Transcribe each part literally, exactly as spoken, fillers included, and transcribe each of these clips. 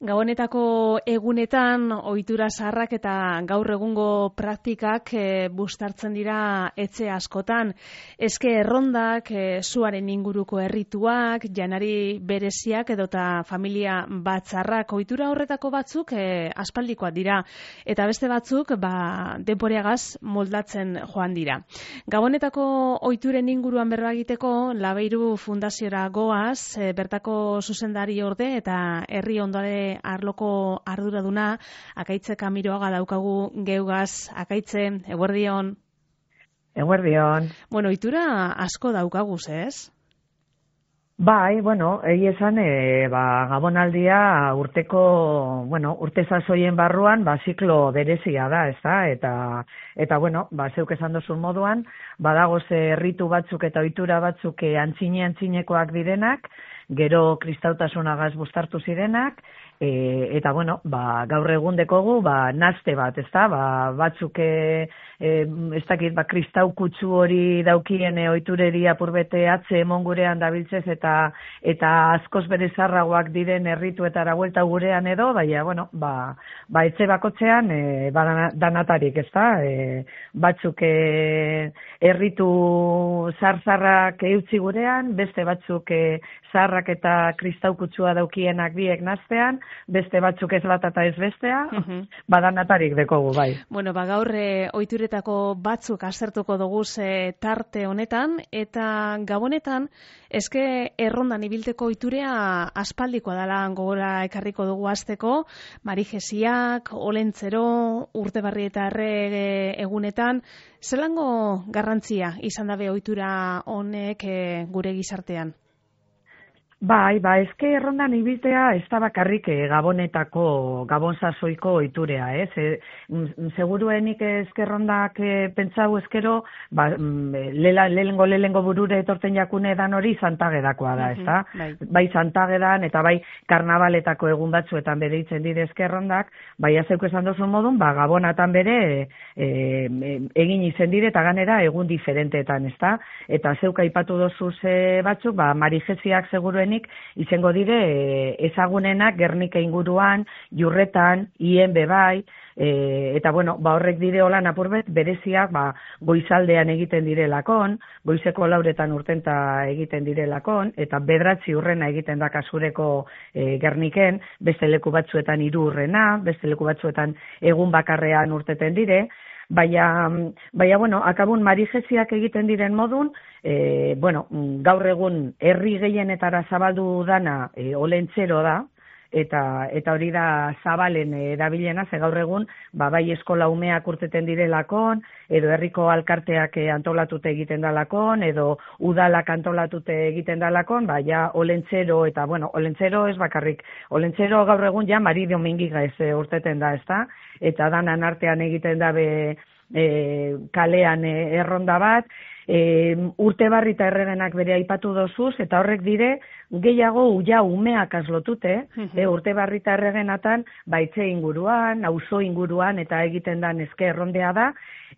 Gabonetako egunetan ohitura zaharrak eta gaur egungo praktikak e, bustartzen dira etxe askotan. Eske errondak, e, zuaren inguruko errituak, janari bereziak edota familia batzarrak, ohitura horretako batzuk e, aspaldikoak dira eta beste batzuk ba, denboreagaz moldatzen joan dira. Gabonetako ohituren inguruan berba egiteko Labeiru Fundaziora goaz, e, bertako zuzendari orde eta herri ondare arloko arduraduna Akaitze Kamiroaga daukagu geugaz. Akaitze, eguerdion. Eguerdion. Bueno, ohitura asko daukaguz, ez? Bai, bueno, egi esan, e, ba, Gabonaldia urteko, bueno, urte sasoien barruan, ba, ziklo berezia da, ez da? Eta, eta bueno, ba, zeuk esan dozun moduan, badagoz erritu batzuk eta ohitura batzuk antzine-antzinekoak direnak, gero kristautasunagaz bustartu zirenak, e, eta bueno, ba, gaur egun dekogu, ba, nazte bat, ez da? Ba, batzuk, e, e, ez dakit, ba, kristau kutsu hori daukien e, ohitureri apurbete atze emon gurean dabiltzez, eta eta askoz bere zarragoak diren errituetara buelta gurean edo, baina, bueno, ba, ba etxe bakotzean, e, ba, danatarik, ez da? E, batzuk e, erritu zar-zarrak eutzi gurean, beste batzuk e, zarrak eta kristau kutsua daukienak biek naztean, beste batzuk ez bat eta ez bestea, uh-huh. Badanatarik dekogu, bai. Bueno, ba gaur e, ohituretako batzuk aztertuko dugu e, tarte honetan, eta Gabonetan, eske errondan ibilteko ohiturea aspaldikoa dela gogora ekarriko dugu hasteko, marijesiak, olentzero, urtebarri eta erre egunetan, zelango garrantzia izan dabe ohitura honek e, gure gizartean? Bai, ba, eske errondan ibiltea ez da bakarrik e, Gabonetako, Gabon sasoiko ohiturea, ez? E, seguruenik eske errondak e, pentsau eskero, ba, lela, lehengo lehengo burure etorten jakune dan hori Santagedakoa da, ez da? Bai, bai Santagedan eta bai karnabaletako egun batzuetan bere itzen dire eske errondak, bai azeuk esan dozun modun, ba, Gabonatan bere e, e, egin izen dire eta ganera egun diferenteetan, ez da? Eta zeuk aipatu dozuz e, batzuk, ba, marijesiak seguruen izango dire e, ezagunenak Gernika inguruan, Jurretan, Ien bebai, e, eta bueno, ba horrek dire holan apurbet bereziak ba, goizaldean egiten direlakon, goizeko lauretan urtenta egiten direlakon, eta bedratzi urrena egiten da kasureko e, Gerniken, beste leku batzuetan hiru urrena, beste leku batzuetan egun bakarrean urteten dire, Baina, baina, bueno, akabun marijesiak egiten diren modun, e, bueno, gaur egun herri gehienetara zabaldu dana e, olentzero da, eta eta hori da zabalen erabilena, ze gaur egun, ba, bai eskola umeak urteten direlakon, edo herriko alkarteak antolatute egiten dalakon, edo udalak antolatute egiten dalakon, ba, ja olentzero, eta, bueno, olentzero ez bakarrik, olentzero gaur egun ja Mari Domingiga ez e, urteten da, ez da? Eta danan artean egiten dabe e, kalean e, erronda bat, e, urtebarri eta erregenak bere aipatu dozuz, eta horrek dire, gehiago uja umeak azlotute, uh-huh. e, urtebarri eta erregenatan, baitze inguruan, auzo inguruan, eta egiten dan eske errondea da,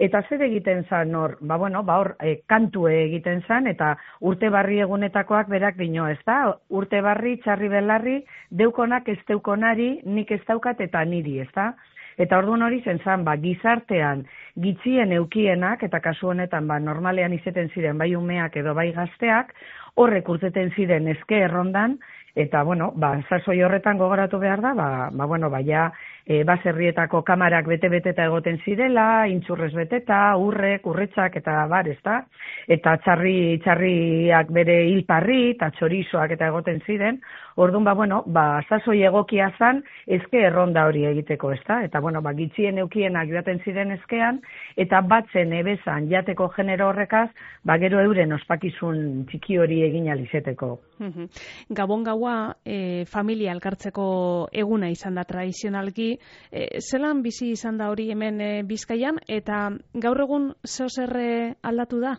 eta zer egiten zan hor, ba bueno, ba hor, e, kantue egiten zan, eta urtebarri egunetakoak berak dino, ez da? Urtebarri, txarri belarri, deukonak ez deukonari, nik ez daukat eta niri, ez da? Eta orduan hori zen zan, ba, gizartean gitzien eukienak, eta kasu honetan, ba, normalean izeten ziren bai umeak edo bai gazteak, horrek urteten ziren eske errondan, eta, bueno, ba, sasoi horretan gogoratu behar da, ba, ba bueno, ba, ja, e, baserrietako kamarak bete-beteta egoten zirela, intxurrez beteta, urrek, urretxak, eta bar, ez da? Eta txarri, txarriak bere hilparri, eta txorizoak eta egoten ziren, orduan, ba, bueno, ba, sasoi egokia zan, eske erronda hori egiteko, ez da? Eta, bueno, ba, gitzien eukienak joaten ziren eskean, eta batzen ebezan jateko genero horrekaz, ba, gero euren ospakizun txiki hori egin alizeteko. Gabon gaua e, familia elkartzeko eguna izan da tradizionalki, e, zelan bizi izan da hori hemen e, Bizkaian, eta gaur egun zeo zer aldatu da?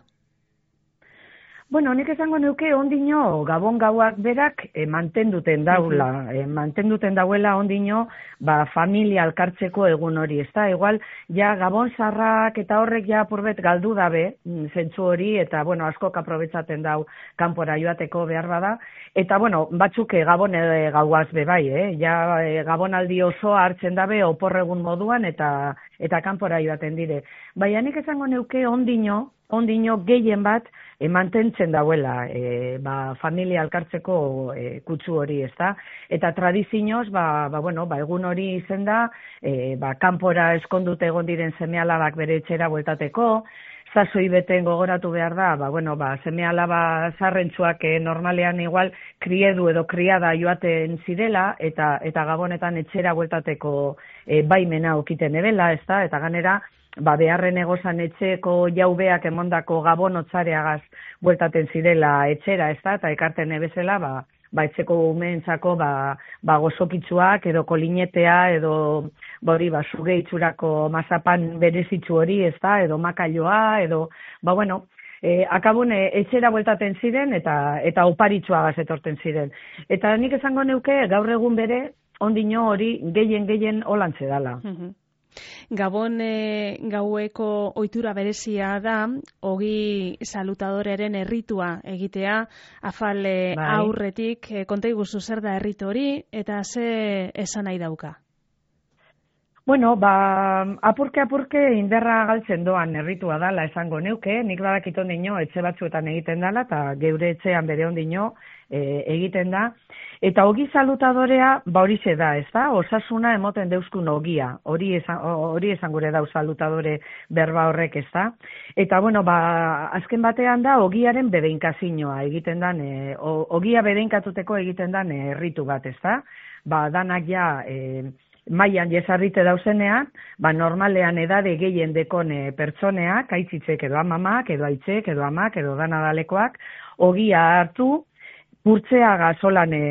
Bueno, nik esango neuke ondino Gabon gauak berak e, mantenduten daula, e, mantenduten dauela ondino ba, familia alkartzeko egun hori, ezta? Igual, ja Gabon zarrak eta horrek ja purbet galdu dabe, zentzu hori, eta bueno, askok aprobetzaten dau kanpora joateko behar bada, eta bueno, batzuk e, Gabon e, gauaz bebai, eh? Ja e, Gabonaldi osoa hartzen dabe oporregun moduan eta eta kanpora joaten dire. Baina nik esango neuke ondino, ondino gehien bat e, mantentzen dauela e, ba, familia alkartzeko e, kutsu hori, ezta? Eta tradizioz, ba, ba, bueno, ba, egun hori izen da, e, ba, kanpora eskondute egon diren seme-alabak bere etxera bueltateko, zazoi beten gogoratu behar da, ba, bueno, ba, seme-alaba zarrentzuak e, normalean igual kriedu edo kriada joaten zirela, eta eta Gabonetan etxera bueltateko e, baimena okiten ebela, ezta? Eta ganera, ba, beharren egozan etxeko jaubeak emondako Gabon otzareagaz bueltaten zirela etxera, ezta? Eta ekarten ebezela, ba, ba etxeko umeentzako ba, ba gozokitzuak edo kolinetea edo bori ba suge itxurako mazapan berezitzu hori, ezta? Edo makailoa edo ba bueno, e, akabun e, etxera bueltaten ziren eta eta oparitzuagaz etorten ziren. Eta nik esango neuke gaur egun bere ondino hori gehien gehien holantze dala. Mhm. Gabon e, gaueko ohitura berezia da, ogi salutadorearen erritua egitea, afal e, bai. aurretik, e, konta iguzu zer da erritu hori, eta ze esan nahi dauka? Bueno, ba, apurke-apurke inderra galtzen doan erritua dala esango neuke, nik badakit ondino etxe batzuetan egiten dala, eta geure etxean bere ondino e, egiten da. Eta ogi salutadorea, ba horixe da, ez da? Osasuna emoten deuskun ogia, hori esan, hori esan gure dau salutadore berba horrek, ez da? Eta, bueno, ba, azken batean da, ogiaren bedeinkazinoa egiten dan, e, ogia bedeinkatuteko egiten dan erritu bat, ez da? Ba, danak ja... E, mailan jesarrite dauzenean, ba normalean edade gehien dekon e, pertsoneak, aitzitzek edo amamak, edo aitzek, edo amak, edo danadalekoak, ogia hartu, kurtzea solan e,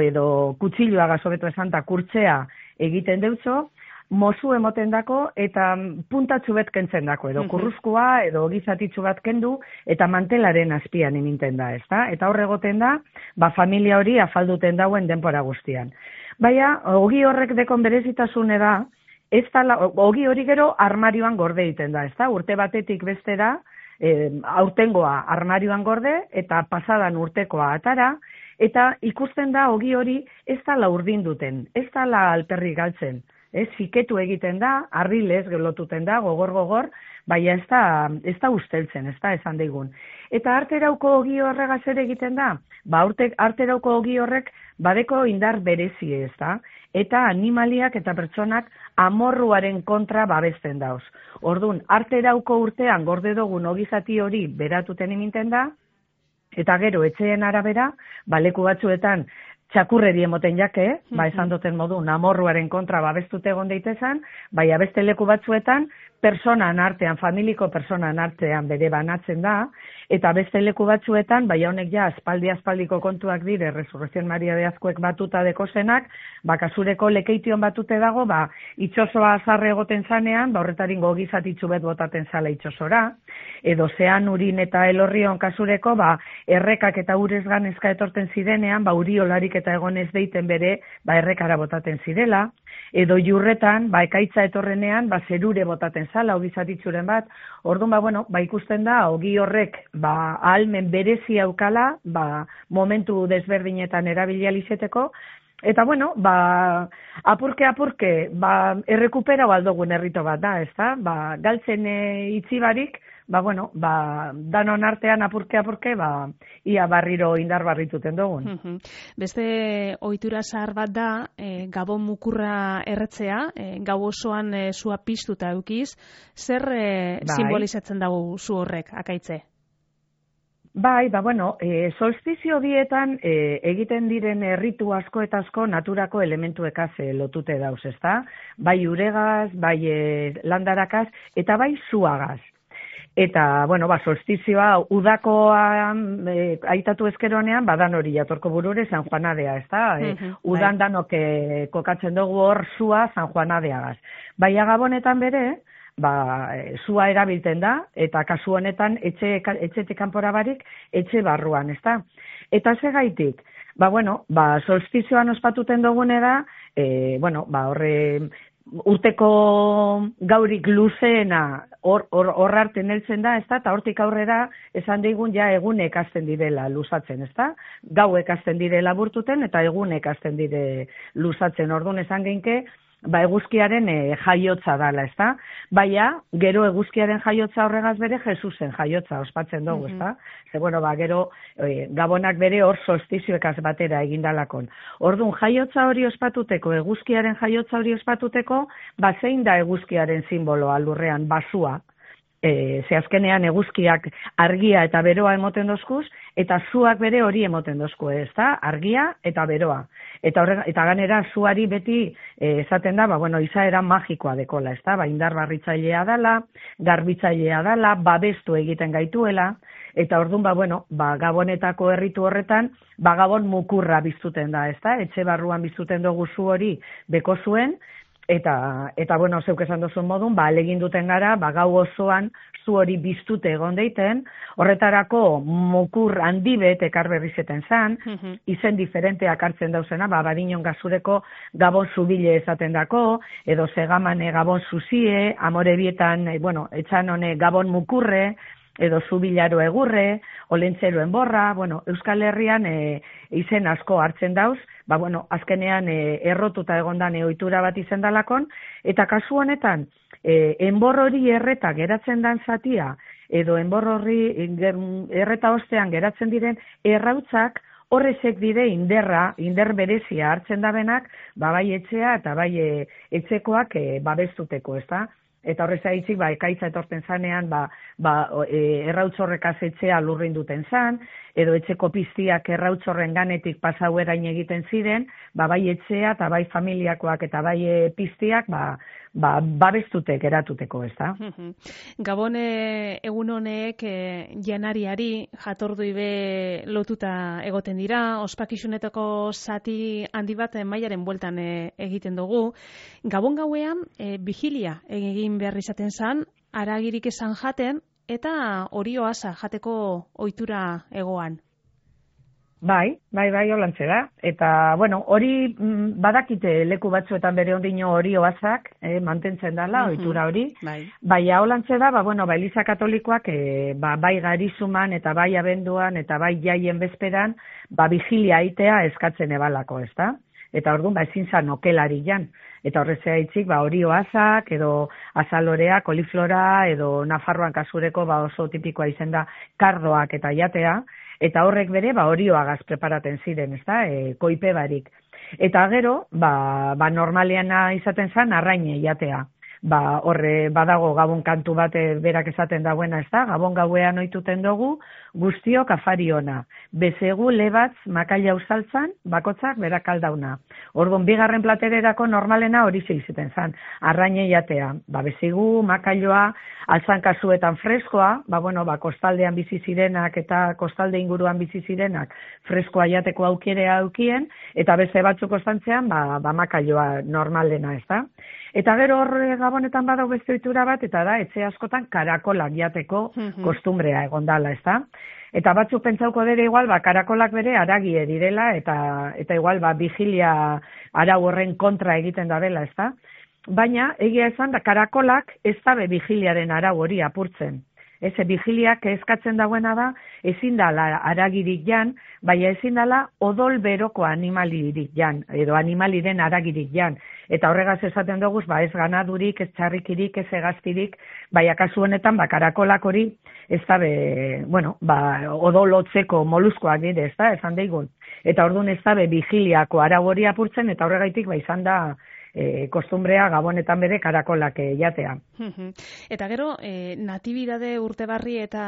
edo kutsilloa gazobeto esanta kurtzea egiten deutzo, mozu emoten dako eta puntatxu bet kentzen dako, edo kurruzkoa, edo gizatitzu bat kendu, eta mantelaren azpian iminten da, ezta? Eta horre egoten da, ba familia hori afalduten dauen denpora guztian. Baina, ogi horrek dekon berezitasune da, ez da, ogi hori gero armarioan gorde egiten da, ezta? Urte batetik bestera, e, aurtengoa armarioan gorde, eta pasadan urtekoa atara, eta ikusten da ogi hori ez da urdin duten, ez da alperri galtzen. Ez, fiketu egiten da, arrilez gelotuten da, gogor-gogor, baina ez da, ez da usteltzen, ez da esan daigun. Eta arterauko ogi horregaz ere egiten da, ba arterauko ogi horrek badeko indar berezi, ez da, eta animaliak eta pertsonak amorruaren kontra babesten dauz. Ordun, arterauko urtean gorde dugun ogizati hori beratuten iminten da, eta gero etxeen arabera, ba leku batzuetan, txakurreri emoten jake, ba esan duten modu, amorruaren kontra babestute egon daitezan, baina beste leku batzuetan, personan artean, familiko personan artean bere banatzen da, eta beste leku batzuetan, baina honek ja, aspaldi-aspaldiko kontuak dire, Resurrección Maria de Azkuek batuta dekozenak, ba kasureko lekeition batute dago, ba itxosoa azarre egoten zanean, ba horretarin gogizatitzu bet botaten zala itxosora, edo zean urin eta elorrion kasureko, ba errekak eta urez ganezka etorten zirenean, ba uriolarik eta egonez deiten bere, ba errekara botaten zirela, edo jurretan, ba ekaitza etorrenean, ba zerure botaten zala, ogizatitzuren bat, orduan, ba bueno, ba ikusten da, ogi horrek, ba ahalmen berezi aukala, ba momentu desberdinetan erabilializeteko, eta bueno, ba apurke-apurke, ba errekupera baldogun errito bat da, ez da? Ba galtzen e, itzibarik, ba bueno, ba danon artean apurke-apurke, ba ia barriro indar barrituten dugun. Beste ohitura zahar bat da, e, Gabon mukurra erretzea, e, gau osoan e, sua piztuta eukiz, zer e, bai. simbolizatzen dago zu horrek, akaitze? Bai, ba, bueno, e, solstizio bietan e, egiten diren erritu asko eta asko naturako elementuekaz e, lotute dauz, ezta? Bai uregaz, bai e, landarakaz, eta bai zuagaz. Eta, bueno, ba, solstizioa udakoan e, aitatu ezkeronean, badan hori jatorko burure San Juanadea, ezta? E, udan bai. Danok e, kokatzen dugu hor zua San Juanadeagaz. Baina Gabonetan bere, ba, zua erabilten da, eta kasu honetan etxe, etxetik kanpora barik, etxe barruan, ezta? Eta segaitik, ba, bueno, ba, solstizioan ospatuten dugune da, e, bueno, ba, horre, urteko gaurik luzeena hor hor hor arte neltzen da, ezta? Ta hortik aurrera esan digun ja egunek hasten direla luzatzen, ezta? Gauek hasten direla burtuten eta egunek hasten dire luzatzen. Orduan esan geinke, ba eguzkiaren e, jaiotza dala, ezta? Baina gero eguzkiaren jaiotza horregaz bere Jesusen jaiotza ospatzen dugu, ezta? Mm-hmm. Ze bueno, ba gero e, Gabonak bere hor solstizioekaz batera egindalakon. Orduan jaiotza hori ospatuteko, eguzkiaren jaiotza hori ospatuteko, ba zein da eguzkiaren simboloa lurrean, basua. E, ze azkenean eguzkiak argia eta beroa emoten dozkuz, eta zuak bere hori emoten dozku, ez da? Argia eta beroa. Eta, horrega, eta ganera zuari beti e, esaten da, ba, bueno, izaera magikoa dekola, ez da? Ba, indar barritzailea dala, garbitzailea dala, babestu egiten gaituela, eta orduan, ba, bueno, ba, Gabonetako herritu horretan, ba, Gabon mukurra biztuten da, ez da? Etxe barruan biztuten dugu zu hori beko zuen, Eta, eta bueno, zeuk esan duzun modun, ba, alegin duten gara, ba, gau osoan zu hori biztute egon deiten, horretarako mukur handi bet ekar berrizeten zan, mm-hmm. izen diferenteak hartzen dauzena, ba, badinon gazureko Gabon zubile esaten dako, edo segamane Gabon zuzie, amore bietan, e, bueno, etxan hone Gabon mukurre, edo zubilaro egurre, olentzeroen borra, bueno, Euskal Herrian e, izen asko hartzen dauz, ba, bueno, azkenean e, errotuta egondan ohitura bat izen dalakon, eta kasu honetan, e, enbor hori erreta geratzen dan zatia, edo enbor hori erreta ostean geratzen diren errautzak, horrezek dire inderra, inder berezia hartzen dabenak, ba, bai etxea eta bai e, etxekoak e, babestuteko, ez da? Eta horrez aitzik, ba, ekaitza etorten zanean, ba, ba, e, errautzorrekaz etxea lurrin duten zan, edo etxeko piztiak errautzorren ganetik pasauerain egiten ziren, ba, bai etxea eta bai familiakoak eta bai e, piztiak, ba, ba, babestutek eratuteko, ez da? Gabone egun honek e, janariari jatordui be lotuta egoten dira, ospakizunetako zati handi bat mailaren bueltan e, egiten dugu. Gabon gauean e, vigilia egin behar izaten zan, aragirik esan jaten, eta hori oasa jateko ohitura egoan. Bai, bai, bai, holantze da. Eta, bueno, hori mm, badakite leku batzuetan bere ondino hori oazak, eh, mantentzen dela, mm-hmm. ohitura hori. Bai, bai holantze da, ba, bueno, ba, Eliza Katolikoak, eh, ba, bai garizuman eta bai abenduan eta bai jaien bezperan, ba, vigilia aitea eskatzen ebalako, ez da? Eta orduan, ba, ezin zan okelari jan. Eta horrezea itzik, ba, hori oazak, edo azalorea, koliflora, edo Nafarroan kasureko, ba, oso tipikoa izen da, kardoak eta jatea, eta horrek bere, ba, orioagaz preparaten ziren, ez da, e, koipe barik. Eta gero, ba, ba normaleana izaten zan, arraine jatea. Ba, horre badago Gabon kantu bat berak esaten dagoena, ez da, Gabon gauean ohituten dugu, guztiok afari ona. Bezegu lebatz makaila usaltzan, bakotzak berak aldauna. Orduan, bigarren platererako normalena hori zeizeten zan, arraine jatea. Ba, bezegu, makailoa, altzan kasuetan freskoa, ba, bueno, ba, kostaldean bizi zirenak eta kostalde inguruan bizi zirenak freskoa jateko aukerea aukien, eta beste batzuk ostantzean, ba, ba makailoa normalena, ez da. Eta gero horre Gabonetan badau beste ohitura bat, eta da, etxe askotan karakolak jateko mm-hmm. kostumbrea egondala, ez da. Eta batzuk pentsauko dere igual, ba, karakolak bere aragie direla, eta eta igual, ba, vigilia arau horren kontra egiten da dela, ez da. Baina, egia esan, da, karakolak ez dabe vigiliaren arau hori apurtzen. Ez, vigiliak eskatzen dagoena da, ezin dala aragirik jan, baina ezin dala odol beroko animalirik jan, edo animaliren aragirik jan. Eta horregaz esaten dugu, ba, ez ganadurik, ez txarrikirik, ez egaztirik, baina kasu honetan, ba, karakolak hori, ez da be, bueno, ba, odolotzeko moluskoak dire, ez da, esan daigun. Eta orduan ez da be, vigiliako arau hori apurtzen, eta horregaitik, ba, izan da, E, kostumbrea Gabonetan bere karakolak e, jatea. Eta gero, e, natibidade urtebarri eta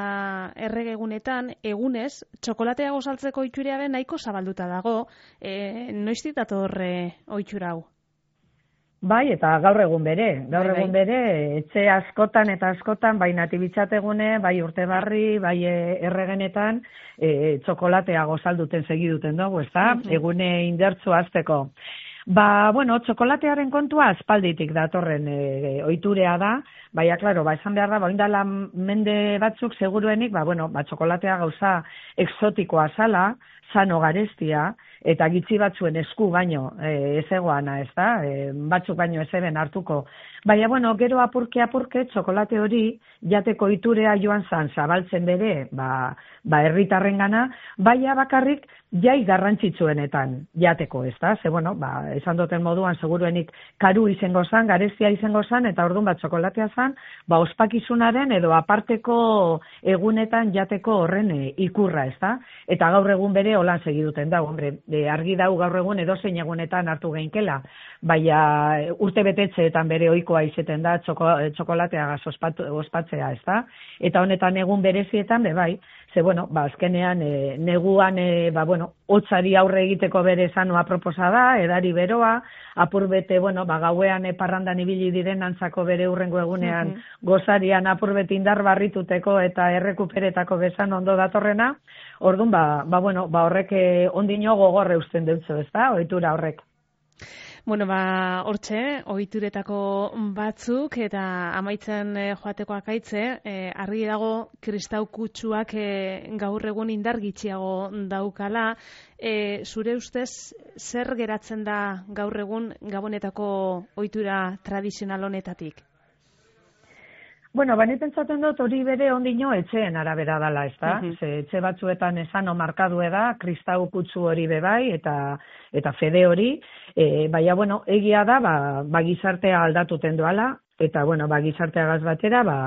erregegunetan, egunez, txokolatea gozaltzeko ohitura be nahiko zabalduta dago. E, noiztik dator ohitura hau? Bai, eta gaur egun bere. Gaur bai, egun bai. bere, etxe askotan eta askotan, bai natibitzategune, bai urtebarri, bai erregenetan, e, txokolatea gozalduten segiduten dugu, ez da? Uh-huh. Egune indertzu azteko. Ba, bueno, txokolatearen kontua aspalditik datorren e, ohiturea da, baina, klaro, ba, esan behar da, ba, oindala mende batzuk seguruenik, ba, bueno, ba, txokolatea gauza exotikoa zala, sano garestia, eta gitzi batzuen esku baino e, ez egoana, ez da, e, batzuk baino ez eben hartuko. Baina, bueno, gero apurke apurke txokolate hori jateko ohiturea joan zan zabaltzen bere, ba, ba herritarrengana, baina bakarrik jai garrantzitsuenetan jateko, ez da? Ze, bueno, ba, esan duten moduan, seguruenik karu izango zan, garestia izango zan, eta orduan bat txokolatea zan, ba, ospakizunaren edo aparteko egunetan jateko horren e, ikurra, ez da? Eta gaur egun bere holan segiduten da, hombre, e, argi dau gaur egun edozein egunetan hartu geinkela, baina urte betetzeetan bere ohikoa izeten da txoko, txokolateagaz ospatzea, ez da? Eta honetan egun berezietan, be bai, ze, bueno, ba, azkenean, e, neguan, e, ba, bueno, hotzari aurre egiteko bere sanoa proposa da, edari beroa, apurbete, bueno, ba, gauean e, parrandan ibili diren antzako bere urrengo egunean mm-hmm. gozarian apurbete indar barrituteko eta errekuperetako bezan ondo datorrena, orduan, ba, ba, bueno, ba, horrek ondino gogorre usten dutzu, ez da, ohitura horrek. Bueno, ba, hortxe, ohituretako batzuk eta amaitzen e, joateko akaitze, e, argi dago kristau kutsuak e, gaur egun indar gitxiago daukala. E, zure ustez, zer geratzen da gaur egun Gabonetako ohitura tradizional honetatik? Bueno, bani pentsatzen dut hori bere ondino etxeen arabera dala, ez da? Uh-huh. Ze etxe batzuetan esano markadue da, kristau kutsu hori bebai, eta eta fede hori, e, baina, bueno, egia da, ba, ba gizartea aldatuten doala, eta, bueno, ba gizarteagaz batera, ba,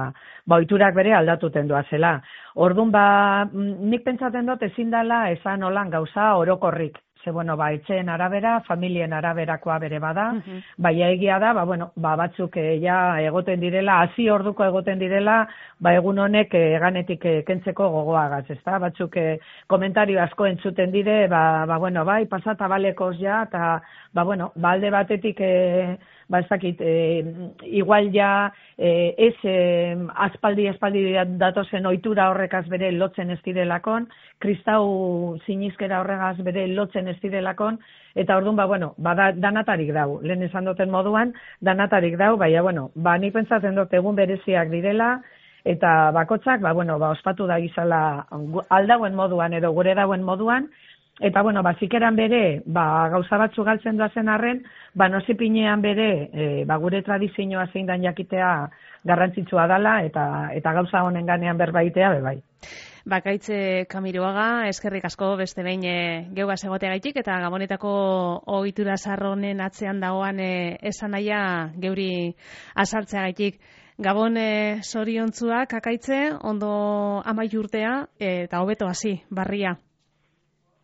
ba ohiturak bere aldatuten doa zela. Orduan, ba, nik pentsatzen dut ezin dala esan holan gauza orokorrik. Ze, bueno, ba, etxeen arabera, familien araberakoa bere bada, uh-huh. baina egia da, ba, bueno, ba, batzuk e, ja egoten direla, hasi orduko egoten direla, ba, egun honek e, ganetik e, kentzeko gogoagaz, ez da? Batzuk e, komentario asko entzuten dire, ba, ba bueno, bai, pasata balekoz ja, eta, ba, bueno, ba, alde batetik, e, ba, ez dakit, e, igual ja, e, ez e, aspaldi, aspaldi datozen ohitura horrekaz bere lotzen ez direlakon, kristau sinizkera horregaz bere lotzen ez direlakon, eta orduan, ba, bueno, ba, da, danatarik dau, lehen esan duten moduan, danatarik dau, baina, bueno, ba, ni pentsatzen dut egun bereziak direla, eta bakotzak, ba, bueno, ba, ospatu da gizala aldauen moduan, edo gure dauen moduan, eta, bueno, ba, zikeran bere, ba, gauza batzu galtzen doazen arren, ba, nozipinean bere, e, ba, gure tradizioa zein dan jakitea garrantzitsua dala, eta, eta gauza honen ganean berbaitea, bebai. Bakaitze Kamiroaga, eskerrik asko beste behin e, geugaz egoteagaitik eta Gabonetako ohitura sarronen atzean dagoan e, esan nahia geuri azaltzeagaitik. Gabon e, zoriontzuak akaitze, ondo amaitu urtea e, eta hobeto hasi, barria.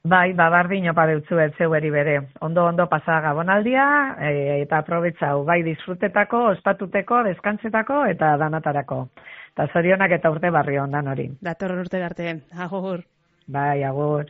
Bai, ba, bardin opa deutzuet zeueri bere. Ondo, ondo pasa Gabonaldia e, eta aprobetxau, bai disfrutetako, ospatuteko, deskantzetako eta danatarako. Eta zorionak eta urte barri ondan hori. Datorren urte arte, agur. Bai, agur.